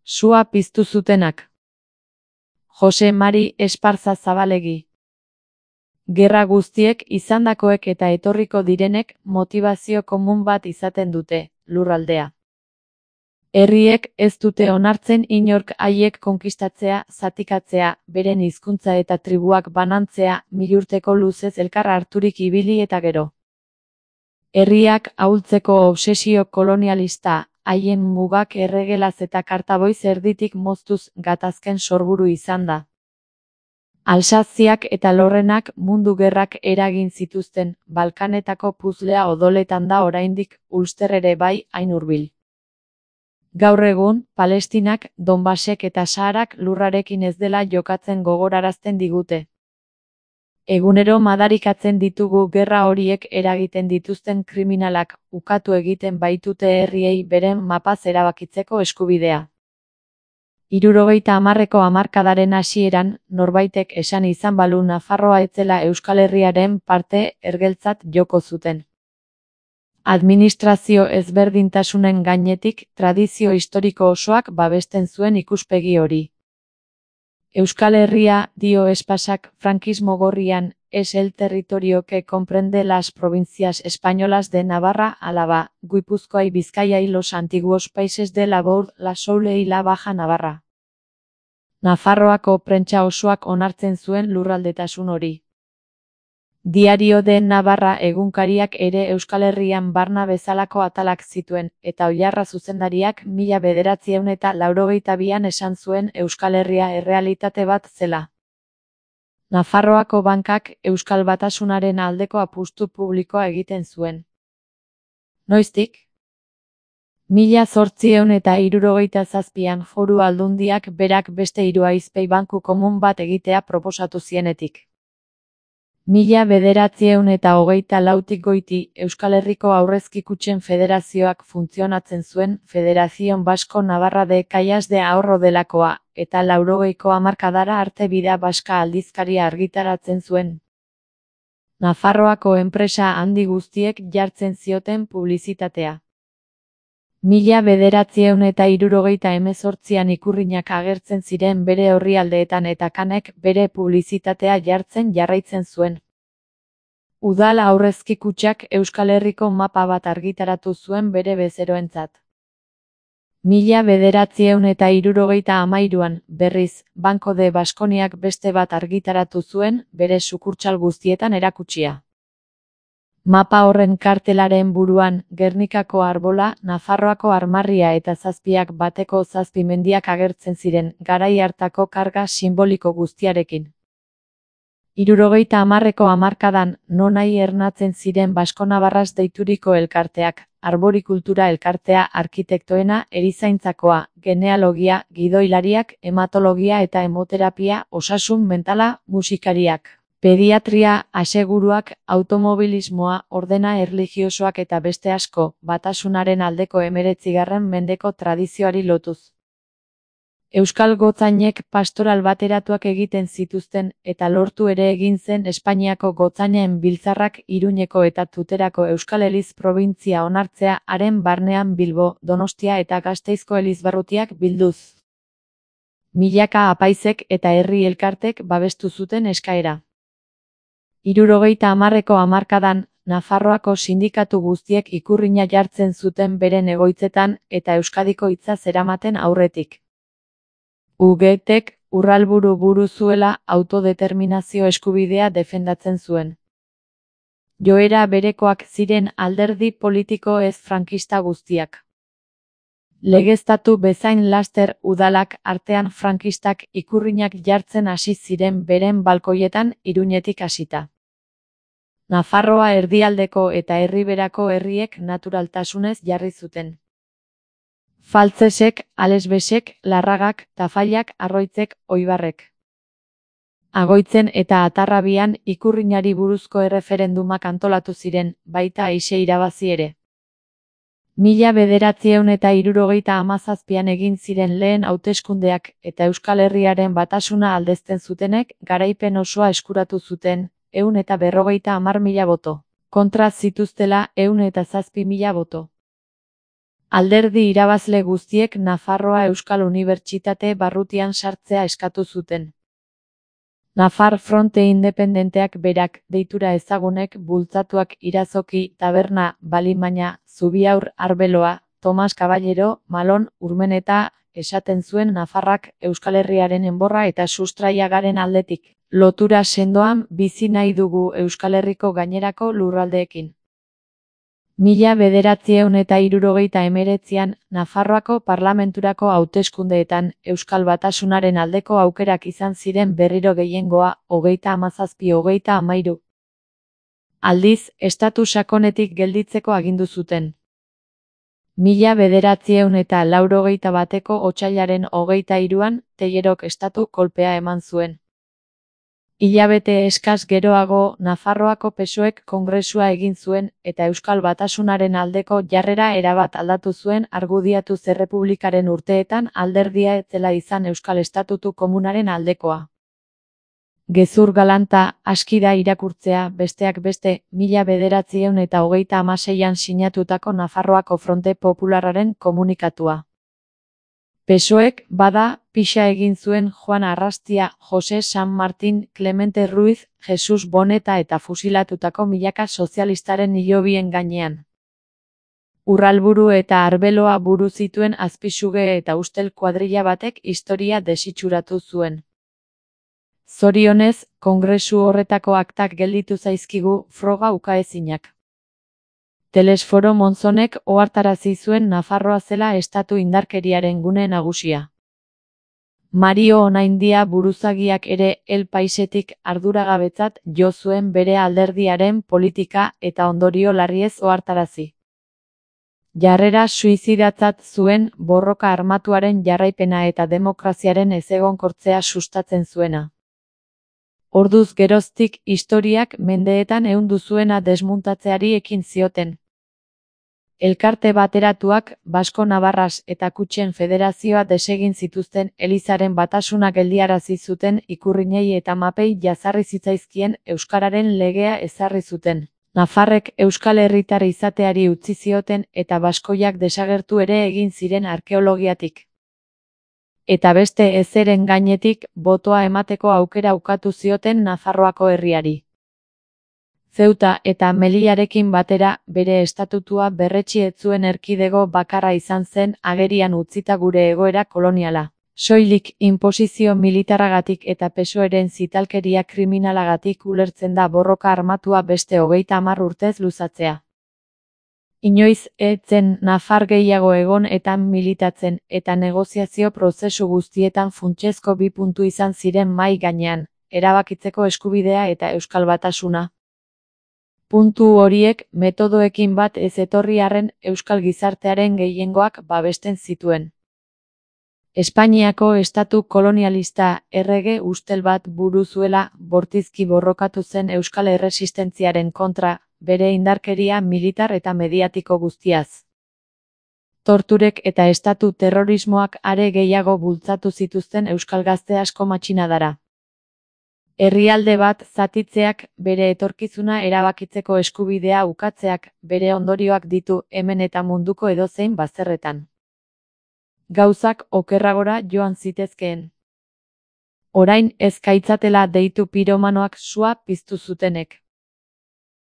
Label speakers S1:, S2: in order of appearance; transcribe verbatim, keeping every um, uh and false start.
S1: Sua piztu zutenak. Jose Mari Esparza Zabalegi. Gerra guztiek, izandakoek eta etorriko direnek, motibazio komun bat izaten dute, lurraldea. Herriek ez dute onartzen inork haiek konkistatzea, zatikatzea, beren hizkuntza eta tribuak banantzea, milurteko luzez elkar harturik ibili eta gero. Herriak ahultzeko obsesio kolonialista, haien mugak erregelaz eta kartaboiz erditik moztuz gatazken sorburu izan da. Alsaziak eta Lorrenak mundu gerrak eragin zituzten, Balkanetako puzlea odoletan da oraindik, Ulster ere bai, hain hurbil. Gaur egun, Palestinak, Donbasek eta Saharak lurrarekin ez dela jokatzen gogorarazten digute. Egunero madarikatzen ditugu gerra horiek eragiten dituzten kriminalak, ukatu egiten baitute herriei beren mapaz erabakitzeko eskubidea. Hirurogeita hamarreko hamarkadaren hasieran, norbaitek esan izan balu Nafarroa etzela Euskal Herriaren parte ergeltzat joko zuten. Administrazio ezberdintasunen gainetik, tradizio historiko osoak babesten zuen ikuspegi hori. Euskal Herria, dio Espasak, frankismo gorrian, es el territorio que comprende las provincias españolas de Navarra, Álava, Guipúzcoa y Vizcaya y los antiguos países de la Bourg, la Soule y la Baja Navarra. Nafarroako prentsa osoak onartzen zuen lurraldetasun hori. Diario de Navarra egunkariak ere Euskal Herrian barna bezalako atalak zituen, eta Oiarra zuzendariak mila bederatziehun eta laurogeita bian esan zuen Euskal Herria errealitate bat zela. Nafarroako bankak Euskal Batasunaren aldeko apustu publikoa egiten zuen. Noiztik? Mila zortziehun eta hirurogeita zazpian Foru Aldundiak berak beste hiru aizpei banku komun bat egitea proposatu zienetik. Mila bederatziehun eta hogeita lautik goiti Euskal Herriko Aurrezki Kutxen Federazioak funtzionatzen zuen Federación Basko Navarra de Cajas de Ahorro delakoa, eta laurogeiko hamarkadara arte Bida Baska aldizkaria argitaratzen zuen. Nafarroako enpresa handi guztiek jartzen zioten publizitatea. Mila bederatziehun eta hirurogeita hemezortzian ikurrinak agertzen ziren bere orrialdeetan eta kanek bere publizitatea jartzen jarraitzen zuen. Udal Aurrezki Kutxak Euskal Herriko mapa bat argitaratu zuen bere bezeroentzat. Mila bederatziehun eta hirurogeita hamairuan, berriz, Banco de Baskoniak beste bat argitaratu zuen, bere sukurtsal guztietan erakutsia. Mapa horren kartelaren buruan, Gernikako arbola, Nafarroako armarria eta zazpiak bateko zazpi mendiak agertzen ziren, garai hartako karga simboliko guztiarekin. Hirurogeita hamarreko hamarkadan, nonai ernatzen ziren Basko-Navarras deituriko elkarteak, arborikultura elkartea, arkitektoena, erizaintzakoa, genealogia, gidoilariak, hematologia eta hemoterapia, osasun mentala, musikariak. Pediatria, aseguruak, automobilismoa, ordena erlijiosoak eta beste asko, Batasunaren aldeko hemeretzigarren mendeko tradizioari lotuz. Euskal gotzainek pastoral bateratuak egiten zituzten, eta lortu ere egin zen Espainiako gotzainen biltzarrak Iruñeko eta Tuterako Euskal Eliz probintzia onartzea haren barnean Bilbo, Donostia eta Gasteizko elizbarrutiak bilduz. Milaka apaizek eta herri elkartek babestu zuten eskaera. Hirurogeita hamarreko hamarkadan, Nafarroako sindikatu guztiek ikurrina jartzen zuten beren egoitzetan eta Euskadiko hitza zeramaten aurretik. U G Tek Urralburu buru zuela autodeterminazio eskubidea defendatzen zuen. Joera berekoak ziren alderdi politiko ez frankista guztiak. Legeztatu bezain laster udalak artean frankistak ikurrinak jartzen hasi ziren beren balkoietan Iruñetik hasita. Nafarroa erdialdeko eta herriberako herriek naturaltasunez jarri zuten. Faltzesek, Alesbesek, Larragak, Tafallak, Arroitzek, Oibarrek. Agoitzen eta Atarrabian ikurrinari buruzko erreferendumak antolatu ziren, baita aise irabazi ere. Mila bederatziehun eta hirurogeita hamazazpian egin ziren lehen hauteskundeak eta Euskal Herriaren batasuna aldezten zutenek garaipen osoa eskuratu zuten, ehun eta berrogeita hamar mila boto. Kontra zituztela ehun eta zazpi mila boto. Alderdi irabazle guztiek Nafarroa Euskal Unibertsitate barrutian sartzea eskatu zuten. Nafar Fronte Independenteak berak, deitura ezagunek bultzatuak Irazoki, Taberna, Balimaina, Zubiaur, Arbeloa, Tomas Caballero, Malon, Urmeneta, esaten zuen Nafarrak Euskal Herriaren enborra eta sustraiagaren aldetik. Lotura sendoan bizi nahi dugu Euskal Herriko gainerako lurraldeekin. Mila bederatziehun eta hirurogeita hemeretzian, Nafarroako parlamenturako hauteskundeetan Euskal Batasunaren aldeko aukerak izan ziren berriro gehiengoa, hogeita hamazazpi hogeita hamairu. Aldiz, estatu sakonetik gelditzeko agindu zuten. Mila bederatziehun eta laurogeita bateko otsailaren hogeita hiruan, Teillerok estatu kolpea eman zuen. Hilabete eskas geroago, Nafarroako P S O Ek kongresua egin zuen eta Euskal Batasunaren aldeko jarrera erabat aldatu zuen argudiatuz errepublikaren urteetan alderdia ez zela izan Euskal Estatutu Komunaren aldekoa. Gezur galanta, aski da irakurtzea, besteak beste, mila bederatziehun eta hogeita hamaseian sinatutako Nafarroako Fronte Popularraren komunikatua. P S O Ek, bada, pixa egin zuen Juan Arrastia, Jose San Martin, Clemente Ruiz, Jesus Boneta eta fusilatutako milaka sozialistaren hilobien gainean. Urralburu eta Arbeloa buru zituen azpisuge eta ustel kuadrilla batek historia desitxuratu zuen. Zorionez, kongresu horretako aktak gelditu zaizkigu, froga ukaezinak. Telesforo Monzonek ohartarazi zuen Nafarroa zela estatu indarkeriaren gune nagusia. Mario Onaindia buruzagiak ere El Paisetik arduragabetzat jo zuen bere alderdiaren politika eta ondorio larriez ohartarazi. Jarrera suizidatzat zuen borroka armatuaren jarraipena eta demokraziaren ezegonkortzea sustatzen zuena. Orduz geroztik historiak mendeetan ehundu zuena desmuntatzeari ekin zioten. Elkarte bateratuak, Basko Navarras eta Kutxen Federazioa desegin zituzten Elizaren batasuna geldiarazi zuten ikurrinei eta mapei jazarri zitzaizkien Euskararen legea ezarri zuten. Nafarrek Euskal Herritar izateari utzi zioten eta baskoiak desagertu ere egin ziren arkeologiatik. Eta beste ezeren gainetik, botoa emateko aukera ukatu zioten Nafarroako herriari. Zeuta eta Melillarekin batera, bere estatutua berretsi ez zuen erkidego bakarra izan zen agerian utzita gure egoera koloniala. Soilik inposizio militarragatik eta P S O Eren zitalkeria kriminalagatik ulertzen da borroka armatua beste hogeita hamar urtez luzatzea. Inoiz ez zen nafar gehiago egon eta militatzen eta negoziazio prozesu guztietan funtsezko bi puntu izan ziren mahai gainean, erabakitzeko eskubidea eta Euskal Batasuna. Puntu horiek metodoekin bat ez etorri arren Euskal gizartearen gehiengoak babesten zituen. Espainiako estatu kolonialista errege ustel bat buru zuela bortizki borrokatu zen Euskal erresistentziaren kontra, bere indarkeria militar eta mediatiko guztiaz. Torturek eta estatu terrorismoak are gehiago bultzatu zituzten Euskal gazte asko matxinadara. Herrialde bat zatitzeak, bere etorkizuna erabakitzeko eskubidea ukatzeak, bere ondorioak ditu hemen eta munduko edozein bazterretan. Gauzak okerragora joan zitezkeen. Orain ez gaitzatela deitu piromanoak sua piztu zutenek.